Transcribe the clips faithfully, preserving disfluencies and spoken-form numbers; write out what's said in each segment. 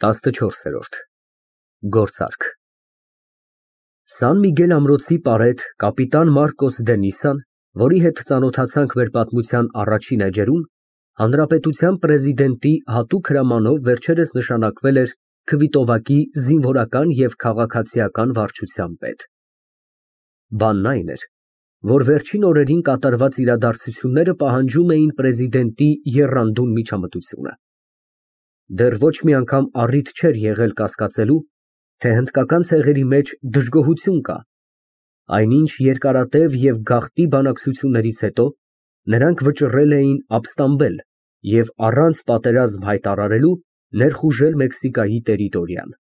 տասնչորսերորդ Գործարք Սան Միգել ամրոցի պարետ կապիտան Մարկոս դե Նիսսան, որի հետ ծանոթացանք մեր պատմության առաջին էջերում, հանրապետության պրեզիդենտի հատուկ հրամանով վերջերս նշանակվել էր Քվիտովակի զինվորական և քաղաքացիական վարչության պետ։ Բանն այն էր, որ վերջին օրերին կատարված իրադարձությունները պահանջում էին պրեզիդենտի եռանդուն միջամտությունը։ Դեռ ոչ մի անգամ առիթ չէր եղել կասկածելու, թե հնդկական ցեղերի մեջ դժգոհություն կա, այնինչ երկարատև և գաղտնի բանակցություններից հետո նրանք վճռել էին ապստամբել և առանց պատերազմ հայտարարելու ներխուժել Մեքսիկայի տերիտորիան։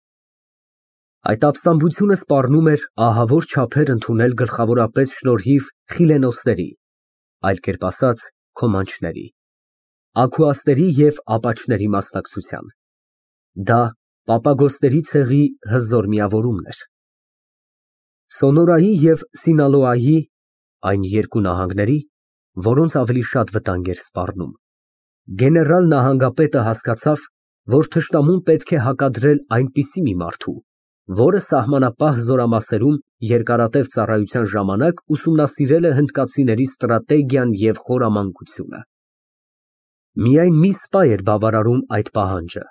Այդ ապստամբությունը սպառնում էր ահավոր չափեր ընդունել գլխավորապես շնորհիվ խիլենոսների, այլ կերպ ասած քոմանչների, աքուաստերի և ապաչների մասնակցության։ Դա պապագոսների ցեղի հզոր միավորումն էր։ Սոնորայի և Սինալոայի (այն երկու նահանգների, որոնց ավելի շատ վտանգ էր սպառնում) գեներալ նահանգապետը հասկացավ, որ թշնամուն պետք է հակադրել այնպիսի մի մարդու, որը սահմանապահ զորամասերում երկարատև ծառայության ժամանակ ուսումնասիրել է հնդկացիների ստրատեգիան և խորամանկությունը։ Միայն մի սպա էր բավարարում այդ պահանջը,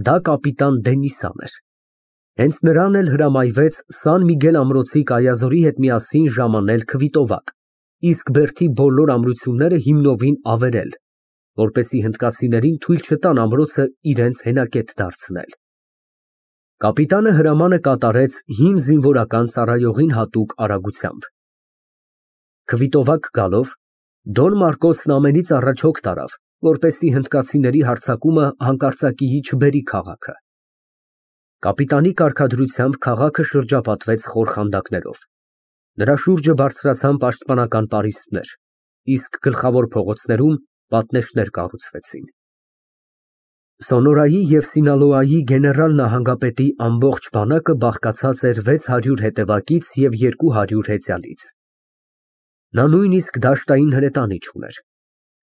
դա կապիտան դե Նիսսան էր։ Հենց նրան էլ հրամայվեց Սան Միգել ամրոցի կայազորի հետ միասին ժամանել Քվիտովակ, իսկ բերդի բոլոր ամրությունները հիմնովին ավերել, որպեսզի հնդկացիներին թույլ չտան ամրոցը իրենց հենակետ դարձնել։ Կապիտանը հրամանը կատարեց հին զինվորական ծառայողին հատուկ արագությամբ։ Քվիտովակ գալով, Դոն Մարկոսն ամենից առաջ հոգ տարավ, որպեսզի հնդկացիների հարձակումը հանկարծակիի չբերի քաղաքը։ Կապիտանի կարգադրությամբ քաղաքը շրջապատվեց խոր խանդակներով։ Նրա շուրջը բարձրացան պաշտպանական պարիսպներ, իսկ գլխավոր փողոցներում պատնեշներ կառուցվեցին։ Սոնորայի և Սինալոայի գեներալ նահանգապետի ամբողջ բանակը բաղկացած էր վեց հարյուր հետևակից և երկու հարյուր հեծյալից։ Նա նույնիսկ դաշտային հրետանի չուներ։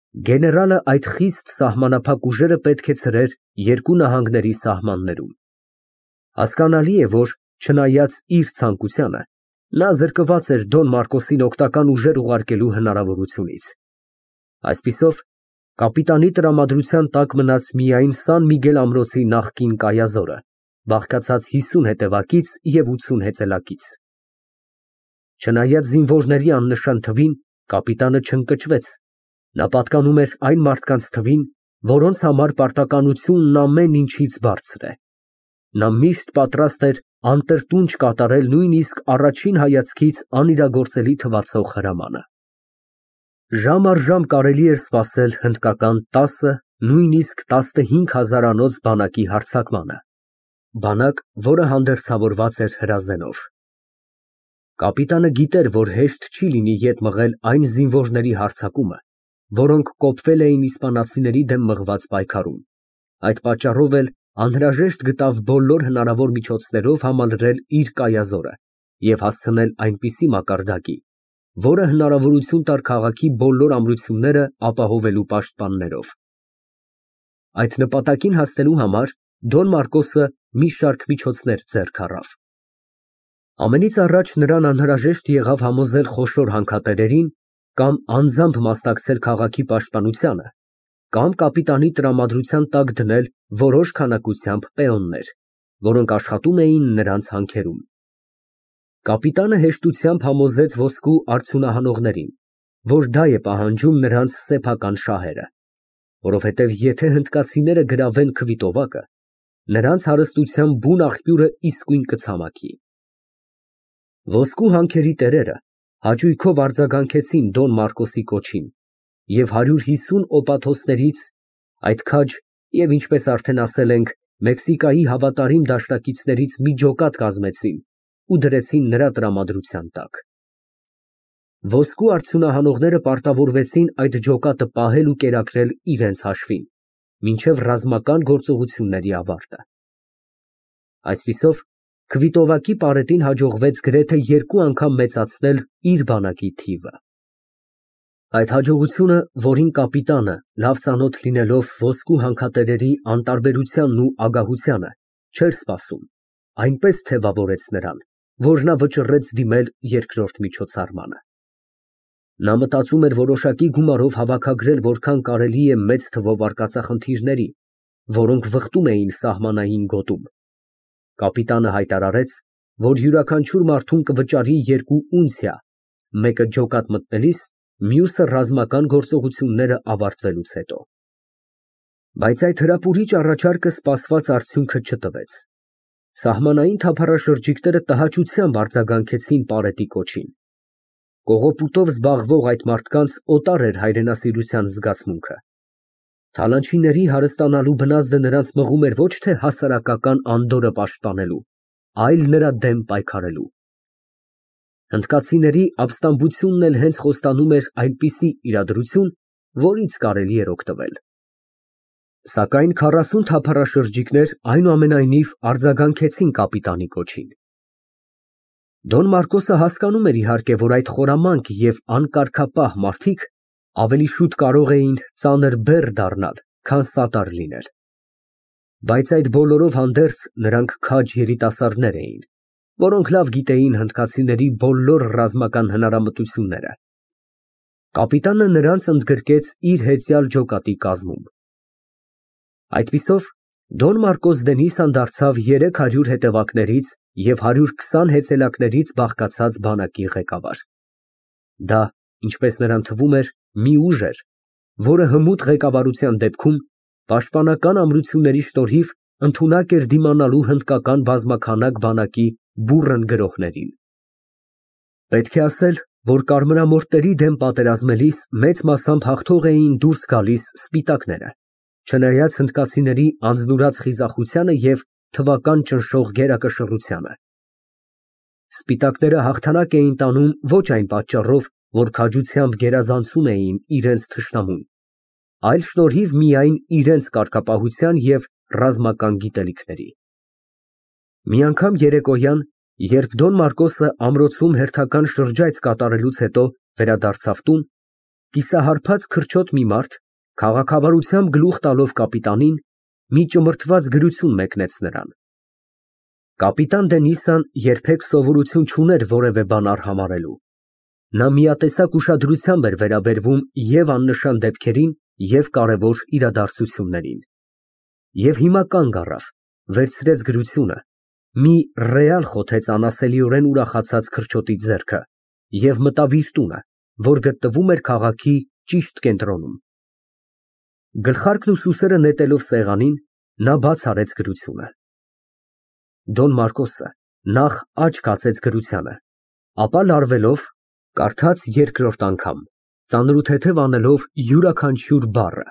Գեներալը այդ խիստ սահմանափակ ուժերը պետք է ցրեր երկու նահանգների սահմաններում։ Հասկանալի է, որ չնայած իր ցանկությանը, նա զրկված էր Դոն Մարկոսին օգնական ուժեր ուղարկելու հնարավորությունից։ Այսպիսով, կապիտանի տրամադրության տակ մնաց միայն Սան Միգել ամրոցի նախկին կայազորը, բաղկացած հիսուն հետևակից և ութսուն հեծելակից։ Չնայած զինվորների աննշան թվին, կապիտանը չընկճվեց, նա պատկանում էր այն մարդկանց թվին, որոնց համար պարտականությունն ամեն ինչից բարձր է։ Նա միշտ պատրաստ էր անտրտունջ կատարել նույնիսկ առաջին հայացքից անիրագործելի թվացող հրամանը։ Ժամ առ ժամ կարելի էր սպասել հնդկական տասը, նույնիսկ տասնհինգ հազարանոց բանակի հարձակմանը, բանակ, որը հանդերձավորված էր հրազենով։ Կապիտանը գիտեր, որ հեշտ չի լինի ետ մղել այն զինվորների հարձակումը, որոնք կոփվել էին իսպանացիների դեմ մղված պայքարում, այդ պատճառով էլ անհրաժեշտ գտավ բոլոր հնարավոր միջոցներով համալրել իր կայազորը և հասցնել այնպիսի մակարդակի, որը հնարավորություն տար քաղաքի բոլոր ամրությունները ապահովելու պաշտպաններով։ Այդ նպատակին հասնելու համար Դոն Մարկոսը մի շարք միջոցներ ձեռք առավ։ Ամենից առաջ նրան անհրաժեշտ եղավ համոզել խոշոր հանքատերերին կամ անձամբ մասնակցել քաղաքի պաշտպանությանը, կամ կապիտանի տրամադրության տակ դնել որոշ քանակությամբ պեոններ, որոնք աշխատում էին նրանց հանքերում։ Կապիտանը հեշտությամբ համոզեց ոսկու արդյունահանողներին, որ դա է պահանջում նրանց սեփական շահերը, որովհետև եթե հնդկացիները գրավեն Քվիտովակը, նրանց հարստության բուն աղբյուրը իսկույն կցամաքի։ Ոսկու հանքերի տերերը հաճույքով արձագանքեցին Դոն Մարկոսի կոչին և հարյուր հիսուն օպաթոսներից, այդ քաջ և, ինչպես արդեն ասել ենք, Մեքսիկայի հավատարիմ դաշնակիցներից մի ջոկատ կազմեցին ու դրեցին նրա տրամադրության տակ։ Ոսկու արդյունահանողները պարտավորվեցին այդ ջոկատը պահել ու կերակրել իրենց հաշվին, մինչև ռազմական գործողությունների ավարտը։ Այսպիսով, Քվիտովակի պարետին հաջողվեց գրեթե երկու անգամ մեծացնել իր բանակի թիվը։ Այդ հաջողությունը, որին կապիտանը, լավ ծանոթ լինելով ոսկու հանքատերերի անտարբերությանն ու ագահությանը, չէր սպասում, այնպես թևավորեց նրան, որ նա վճռեց դիմել երկրորդ միջոցառմանը։ Նա մտածում էր որոշակի գումարով հավաքագրել որքան կարելի է մեծ թվով արկածախնդիրների, որոնք վխտում էին սահմանային գոտում։ Կապիտանը հայտարարեց, որ յուրաքանչյուր մարդուն կվճարի երկու ունցիա, մեկը ջոկատ մտնելիս, մյուսը ռազմական գործողությունները ավարտվելուց հետո։ Բայց այդ հրապուրիչ առաջարկը սպասված արդյունքը չտվեց։ Սահմանային թափառաշրջիկները տհաճությամբ արձագանքեցին Պարետի կոչին։ Կողոպուտով զբաղվող այդ մարդկանց օտար էր հայրենասիրության զգացմունքը։ Թալանչիների հարստանալու բնազդը նրանց մղում էր ոչ թե հասարակական անդորրը պաշտպանելու, այլ նրա դեմ պայքարելու։ Հնդկացիների ապստամբությունն էլ հենց խոստանում էր այնպիսի իրադրություն, որից կարելի էր օգտվել։ Սակայն քառասուն թափառաշրջիկներ այնուամենայնիվ արձագանքեցին կապիտանի կոչին։ Դոն Մարկոսը հասկանում էր իհարկե, որ այդ խորամանկ և անկարգապահ մարդիկ ավելի շուտ կարող էին ծանր բեռ դառնալ, քան սատար լինել։ Բայց այդ բոլորով հանդերձ նրանք քաջ երիտասարդներ էին, որոնք լավ գիտեին հնդկացիների բոլոր ռազմական հնարամտությունները։ Կապիտանը նրանց ընդգրկեց իր հեծյալ ջոկատի կազմում։ Այդպիսով Դոն Մարկոս Դենիսան դարձավ երեք հարյուր հետևակներից և հարյուր քսան հեծելակներից բաղկացած բանակի ղեկավար։ Դա, ինչպես նրան թվում էր, մի ուժ էր, որը հմուտ ղեկավարության դեպքում պաշտպանական ամրությունների շնորհիվ ընդունակ էր դիմանալու հնդկական բազմաքանակ բանակի բուռն գրոհներին։ Պետք է ասել, որ կարմրամորտերի դեմ պատերազմելիս մեծ մասամբ հաղթող էին դուրս գալիս սպիտակները, չնայած հնդկացիների անձնուրաց խիզախությանը և թվական ճնշող գերակշռությանը։ Սպիտակները հաղթանակ էին տանում ոչ այն պատճառով, որ քաջությամբ գերազանցում էին իրենց թշնամուն, այլ շնորհիվ միայն իրենց կարգապահության և ռազմական գիտելիքների։ Մի անգամ երեկոյան, երբ Դոն Մարկոսը ամրոցում հերթական շրջայց կատարելուց հետո վերադարձավ տուն, կիսահարբած քրչոտ մի մարդ, քաղաքավարությամբ գլուխ տալով կապիտանին, մի ճմրթված գրություն մեկնեց նրան։ Կապիտան Դենիսան երբեք սովորություն չուներ որևէ բան արհամարհելու։ Նա միատեսակ ուշադրությամբ էր վերաբերվում և աննշան դեպքերին, և կարևոր իրադարձություններին։ Եվ հիմա կանգ առավ, վերցրեց գրությունը, մի ռեալ խոթեց անասելիորեն ուրախացած քրչոտի ձեռքը և մտավ իր տունը, որ գտնվում էր քաղաքի ճիշտ կենտրոնում։ Գլխարկն ու սուսերը նետելով սեղանին, նա բաց արեց գրությունը։ Դոն Մարկոսը նախ աչք հացեց գրությանը, ապա լարվելով, կարդաց երկրորդ անգամ, ծանրութեթև անելով յուրաքանչյուր բառը,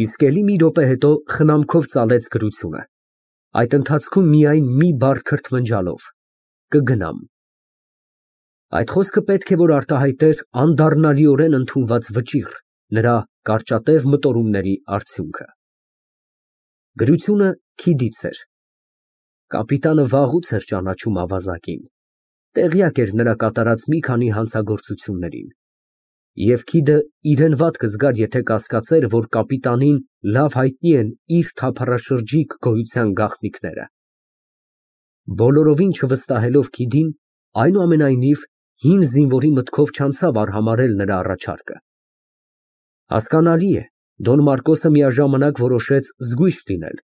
իսկ էլի մի րոպե հետո խնամքով ծալեց գրությունը, այդ ընթացքում միայն մի բառ քրթմնջալով. կգնամ։ Այդ խոսքը պետք է որ արտահայտեր անդառնալիորեն ընդունված վճիռ, նրա կարճատև մտորումների արդյունքը։ Գրությունը քիդից էր։ Կապիտանը վաղուց էր ճանաչում ավազակին, տեղյակ էր նրա կատարած մի քանի հանցագործություններին, և քիդը իրեն վատ կզգար, եթե կասկածեր, որ կապիտանին լավ հայտնի են իր թափառաշրջիկ գոյության գաղտնիքները։ Բոլորովին չվստահելով քիդին, այնուամենայնիվ, հին զինվորի մտքով չանցավ արհամարհել նրա առաջարկը։ Հասկանալի է, Դոն Մարկոսը միաժամանակ որոշեց զգույշ լինել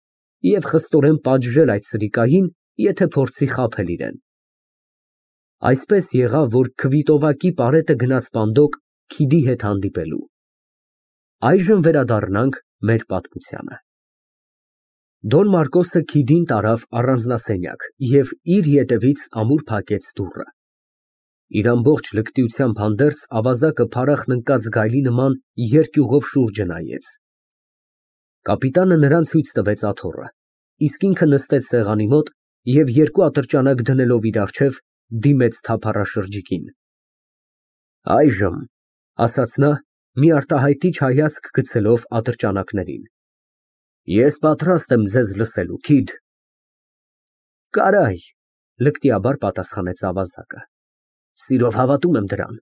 և խստորեն պատժել այդ սրիկային, եթե փորձի խաբել իրեն։ Այսպես եղավ, որ քվիտովակի Պարետը գնաց Պանդոկ քիդի հետ հանդիպելու։ Այժմ վերադառնանք մեր պատմությանը։ Դոն Մարկոսը քիդին տարավ առանձնասենյակ և իր ետևից ամուր փակեց դուռը։ Իր ամբողջ լկտիությամբ հանդերձ ավազակը փարախն ընկած գայլի նման երկյուղով շուրջը նայեց։ Կապիտանը նրան ցույց տվեց աթոռը, իսկ ինքը նստեց սեղանի մոտ և երկու ատրճանակ դնելով իր առջև, դիմեց թափառաշրջիկին։ Այժմ, ասաց նա, մի արտահայտիչ հայացք գցելով ատրճանակներին, ես պատրաստ եմ ձեզ լսելու, քիդ։ Կարայ, լկտիաբար պատասխանեց ավազակը։ Սիրով հավատում եմ դրան,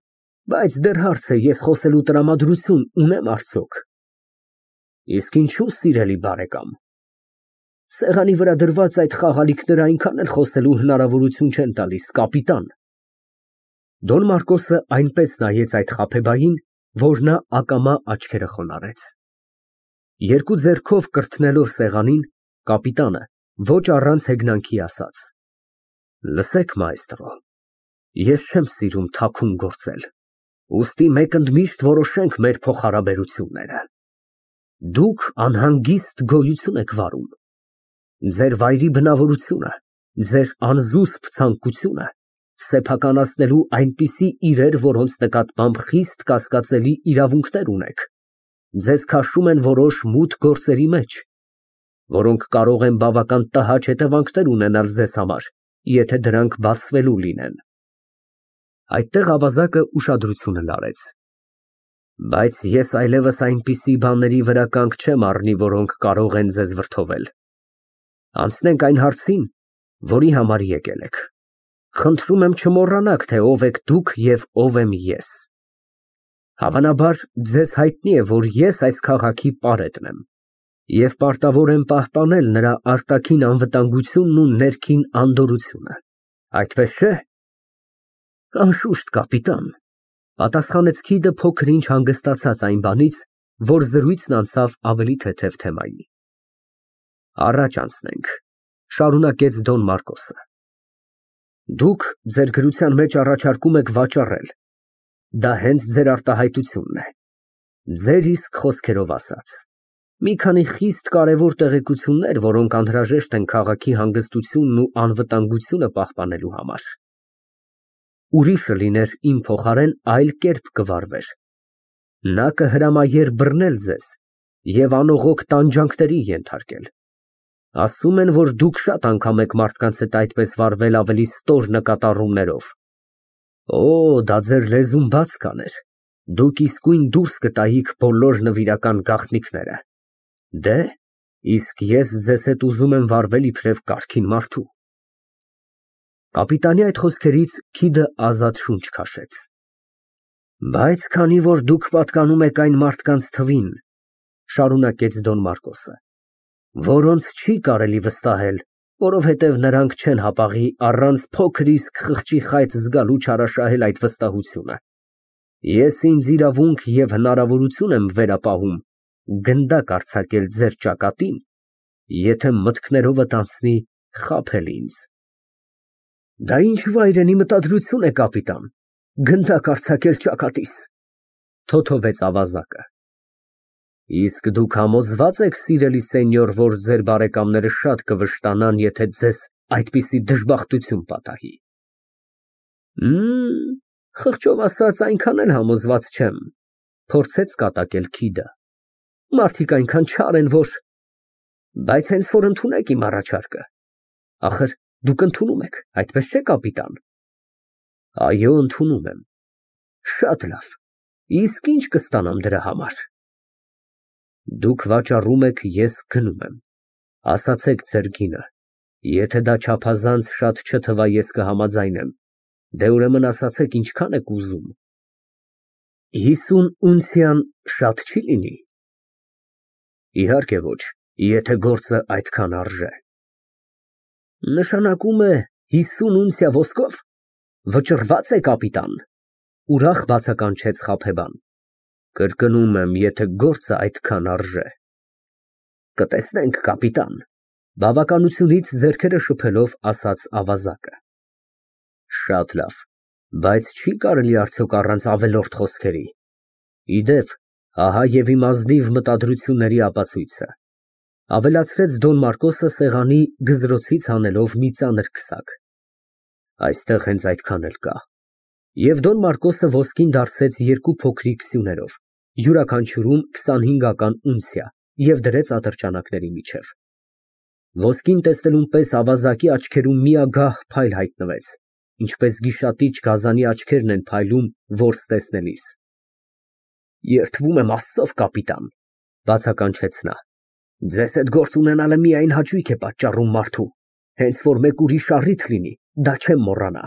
բայց դեռ հարց է, ես խոսելու տրամադրություն ունե՞մ արդյոք։ Իսկ ինչու, սիրելի բարեկամ։ Սեղանի վրա դրված այդ խաղալիքները այնքան էլ խոսելու հնարավորություն չեն տալիս, կապիտան։ Դոն Մարկոսը այնպես նայեց այդ խաբեբային, որ նա ակամա աչքերը խոնարհեց։ Երկու ձեռքով կրթնելով սեղանին, կապիտանը ոչ առանց հեգնանքի ասաց. Լսեք, մայստրո, ես չեմ սիրում թաքուն գործել, ուստի մեկ ընդմիշտ որոշենք մեր փոխհարաբերությունները։ Դուք անհանգիստ գոյություն եք վարում։ Ձեր վայրի բնավորությունը, ձեր անզուսպ ցանկությունը սեփականացնելու այնպիսի իրեր, որոնց նկատմամբ խիստ կասկածելի իրավունքներ ունեք, ձեզ քաշում են որոշ մութ գործերի մեջ, որոնք կարող են բավական տհաճ հետևանքներ ունենալ ձեզ համար, եթե դրանք բացվելու լինեն։ Այդտեղ ավազակը ուշադրությունը լարեց։ Բայց ես այլևս այնպիսի բաների վրա կանգ չեմ առնի, որոնք կարող են ձեզ վրդովել։ Անցնենք այն հարցին, որի համար եկել եք։ Խնդրում եմ չմոռանաք, թե ով եք դուք և ով եմ ես։ Հավանաբար ձեզ հայտնի է, որ ես այս քաղաքի պարետն եմ և պարտավոր եմ պահպանել նրա արտաքին անվտանգությունն ու ներքին անդորրությունը, այդպես չէ՞։ Անշուշտ, կապիտան, պատասխանեց Քիդը փոքր-ինչ հանգստացած այն բանից, որ զրույցն անցավ ավելի թեթև թեմայի։ Առաջ անցնենք, շարունակեց Դոն Մարկոսը։ Դուք ձեր գրության մեջ առաջարկում եք վաճառել, դա հենց ձեր արտահայտությունն է, ձեր իսկ խոսքերով ասած, մի քանի խիստ կարևոր տեղեկություններ, որոնք անհրաժեշտ են քաղաքի հանգստությունն ու անվտանգությունը պահպանելու համար։ Ուրիշը լիներ իմ փոխարեն այլ կերպ կվարվեր։ Նա կհրամայեր բռնել ձեզ և անողոք տանջանքների ենթարկել։ Ասում են, որ դուք շատ անգամ եք մարդկանց հետ այդպես վարվել ավելի ստոր նկատառումներով։ Օ, դա ձեր լեզուն բաց կաներ, դուք իսկույն դուրս կտայիք բոլոր նվիրական գաղտնիքները։ Դե, իսկ ես ձեզ հետ ուզում եմ վարվել իբրև կարգին մարդու։ Կապիտանի այդ խոսքերից Քիդը ազատ շունչ քաշեց։ Բայց քանի որ դուք պատկանում եք այն մարդկանց թվին, շարունակեց Դոն Մարկոսը, որոնց չի կարելի վստահել, որովհետև նրանք չեն հապաղի առանց փոքր իսկ խղճի խայծ զգալու չարաշահել այդ վստահությունը, ես ինձ իրավունք և հնարավորություն եմ վերապահում գնդակ արձակել ձեր ճակատին, եթե մտքներովդ անցնի խաբել ինձ։ Դա ինչ վայրենի մտադրություն է, կապիտան, գնդակ արձակել ճակատիս, թոթովեց ավազակը։ Իսկ դուք համոզվա՞ծ եք, սիրելի սենյոր, որ ձեր բարեկամները շատ կվշտանան, եթե ձեզ այդպիսի դժբախտություն պատահի։ Մմ, խղճով ասած, այնքան էլ համոզված չեմ, փորձեց կատակել Քիդը։ Մարդիկ այնքան չար են, որ… Բայց հենց որ ընդունեք իմ առաջարկը, ախր դուք ընդունում եք, այդպես չէ՞, կապիտան։ Այո, ընդունում եմ։ Շատ լավ, իսկ ի՞նչ կստանամ դրա համար։ Դուք վաճառում եք, ես գնում եմ, ասացեք ձեր գինը, եթե դա չափազանց շատ չթվա, ես կհամաձայնեմ, դե ուրեմն ասացեք ինչքան եք ուզում։ Հիսուն ունցիան շատ չի լինի։ Իհարկե ոչ, եթե գործը այդքան արժե։ Նշանակում է հիսուն ունցիա ոսկով, վճռված է, կապիտան, ուրախ բացականչեց խաբեբան։ Կրկնում եմ, եթե գործը այդքան արժե։ Կտեսնենք, կապիտան, բավականությունից ձեռքերը շփելով ասաց ավազակը։ Շատ լավ, բայց չի կարելի արդյոք առանց ավելորդ խոսքերի։ Իդեպ, ահա և իմ ազնիվ մտադրությունների ապացույցը, ավելացրեց Դոն Մարկոսը սեղանի գզրոցից հանելով մի ծանր քսակ։ Այստեղ հենց այդքան էլ կա։ Եվ Դոն Մարկոսը ոսկին դարձրեց երկու փոքրիկ սյուներով, յուրաքանչյուրում քսանհինգական ունցիա, և դրեց ատրճանակների միջև։ Ոսկին տեսնելուն պես ավազակի աչքերում միագահ փայլ հայտնվեց, ինչպես գիշատիչ գազանի աչքերն են փայլում որս տեսնելիս։ Երդվում եմ Աստծով, կապիտան, բացականչեց նա, ձեզ հետ գործ ունենալը միայն հաճույք է պատճառում մարդու, հենց որ մեկ ուրիշ առիթ լինի, դա չեմ մոռանա։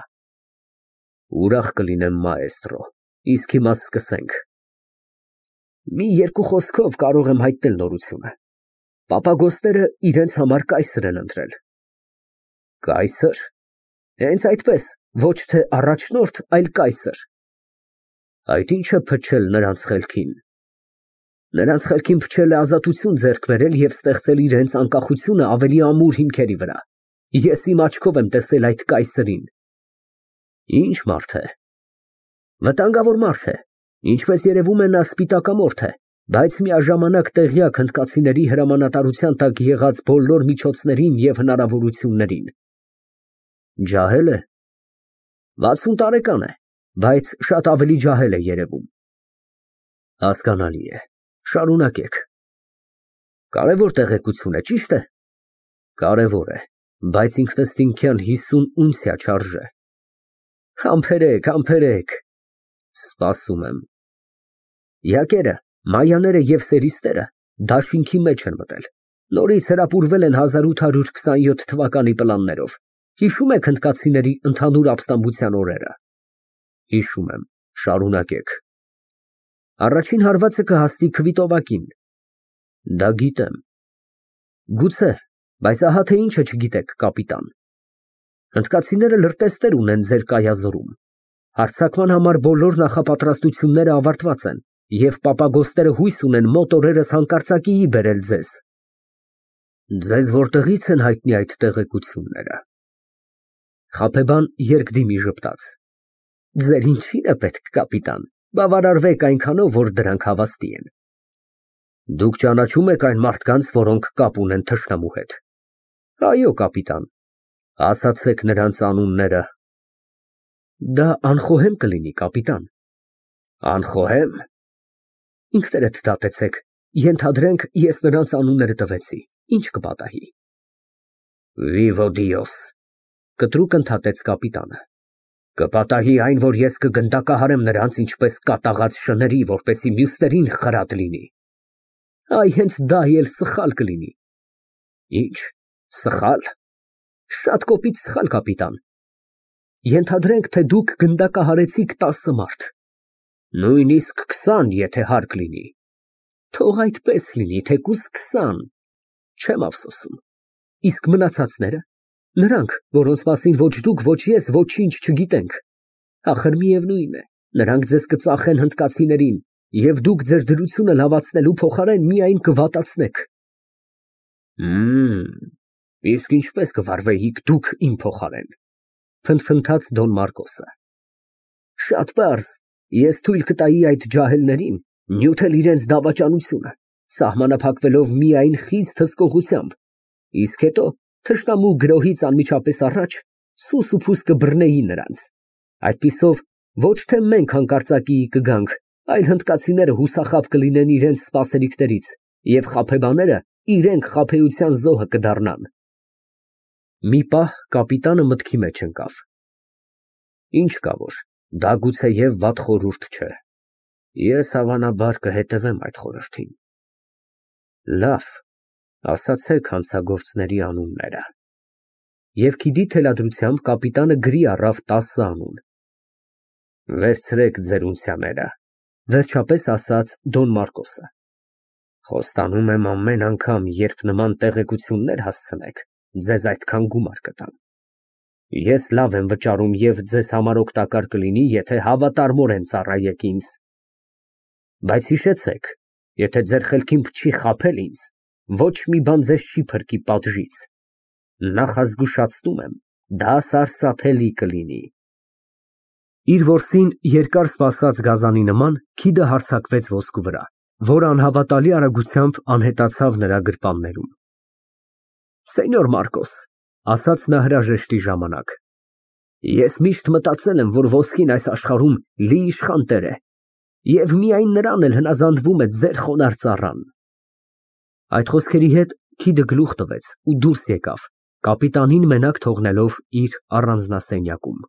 Ուրախ կլինեմ, մաեստրո, իսկ հիմա սկսենք։ Մի երկու խոսքով կարող եմ հայտնել նորությունը։ Պապագոստերը իրենց համար կայսր են ընտրել։ Կայսր։ Հենց այդպես, ոչ թե առաջնորդ, այլ կայսր։ Այդ ի՞նչ է փչել նրանց խելքին։ Նրանց խելքին փչել է ազատություն ձեռք բերել և ստեղծել իրենց անկախությունը ավելի ամուր հիմքերի վրա։ Ես իմ աչքով եմ տեսել այդ կայսրին։ Ինչ մարդ է։ Վտանգավոր մարդ է, ինչպես երևում է նա սպիտակամորթ է, բայց միաժամանակ տեղյակ հնդկացիների հրամանատարության տակ եղած բոլոր միջոցներին և հնարավորություններին։ Ջահել է։ վաթսուն տարեկան է, բայց շատ ավելի ջահել է երևում։ Հասկանալի է, շարունակեք։ Կարևոր տեղեկություն է, ճիշտ է։ Կարևոր է, բայց ինքնըստինքյան հիսուն ունցիա չարժե։ Համբերեք, համբերեք։ Սպասում եմ։ Յակերը, մայաները և սերիստերը դաշինքի մեջ են մտել։ Նորից հրապուրվել են հազար ութ հարյուր քսանյոթ թվականի պլաններով։ Հիշո՞ւմ եք հնդկացիների ընդհանուր ապստամբության օրերը։ Հիշում եմ, շարունակեք։ Առաջին հարվածը կհասնի քվիտովակին։ Դա գիտեմ։ Գուցե, բայց ահա թե ինչը չգիտեք, կապիտան։ Հնդկացիները լրտեսներ ունեն ձեր կայազորում։ Հարձակման համար բոլոր նախապատրաստությունները ավարտված են, և պապագոստերը հույս ունեն մոտ օրերս հանկարծակիի բերել ձեզ։ Ձեզ որտեղի՞ց են հայտնի այդ տեղեկությունները։ Խաբեբան երկդիմի ժպտաց։ Ձեր ինչի՞ն է պետք, կապիտան, բավարարվեք այնքանով, որ դրանք հավաստի են։ Դուք ճանաչո՞ւմ եք այն մարդկանց, որոնք կապ ունեն թշնամու հետ։ Այո, կապիտան։ Ասացեք նրանց անունները։ Դա անխոհեմ կլինի, կապիտան։ Անխոհեմ։ Ինքներդ դատեցեք, ենթադրենք, ես նրանց անունները տվեցի, ինչ կպատահի։ Vivo Dios, կտրուկ ընդհատեց կապիտանը։ Կպատահի այն, որ ես կգնդակահարեմ նրանց ինչպես կատաղած շների, որպեսզի մյուսներին խրատ լինի։ Այ հենց դա էլ սխալ կլինի։ Ինչ, սխալ։ Շատ կոպիտ սխալ, կապիտան։ Ենթադրենք, թե դուք գնդակահարեցիք տասը մարդ։ Նույնիսկ քսան, եթե հարկ լինի։ Թող այդպես լինի, թեկուզ քսան։ Չեմ ափսոսում։ Իսկ մնացածները, նրանք, որոնց մասին ոչ դուք, ոչ ես ոչինչ չգիտենք, ախր միևնույն է, նրանք ձեզ կծախեն հնդկացիներին, և դուք ձեր դրությունը լավացնելու փոխարեն միայն կվատացնեք։ Մմ, իսկ ինչպես կվարվեիք դուք իմ փոխարեն, փնթփնթաց Դոն Մարկոսը։ Շատ պարզ, ես թույլ կտայի այդ ջահելներին նյութել իրենց դավաճանությունը, սահմանափակվելով միայն խիստ հսկողությամբ, իսկ հետո թշնամու գրոհից անմիջապես առաջ սուս ու փուս կբռնեի նրանց։ Այդպիսով ոչ թե մենք հանկարծակիի կգանք, այլ հնդկացիները հուսախաբ կլինեն իրենց սպասելիքներից, և խաբեբաները իրենք խաբեության զոհը կդառնան։ Մի պահ կապիտանը մտքի մեջ ընկավ։ Ինչ կա որ, դա գուցեև վատ խորհուրդ չէ։ Ես հավանաբար կհետևեմ այդ խորհրդին։ Լավ, ասացեք հանցագործների անունները։ Եվ քիդի թելադրությամբ կապիտանը գրի առավ տասը անուն։ Վերցրեք ձեր ունցիաները, վերջապես ասաց Դոն Մարկոսը։ Խոստանում եմ ամեն անգամ, երբ նման տեղեկություններ հասցնեք, ձեզ այդքան գումար կտամ։ Ես լավ եմ վճարում և ձեզ համար օգտակար կլինի, եթե հավատարմորեն ծառայեք ինձ։ Բայց հիշեցեք, եթե ձեր խելքին փչի խաբել ինձ, ոչ մի բան ձեզ չի փրկի պատժից։ Նախազգուշացնում եմ, դա սարսափելի կլինի։ Իր որսին երկար սպասած գազանի նման քիդը հարձակվեց ոսկու վրա, որը անհավատալի արագությամբ անհետացավ նրա գրպաններում։ Սենյոր Մարկոս, ասաց նա հրաժեշտի ժամանակ, ես միշտ մտածել եմ, որ ոսկին այս աշխարհում լի իշխան տեր է, և միայն նրան էլ հնազանդվում է ձեր խոնարհ ծառան։ Այդ խոսքերի հետ քիդը գլուխ տվեց ու դուրս եկավ, կապիտանին մենակ թողնելով իր առանձնասենյակում։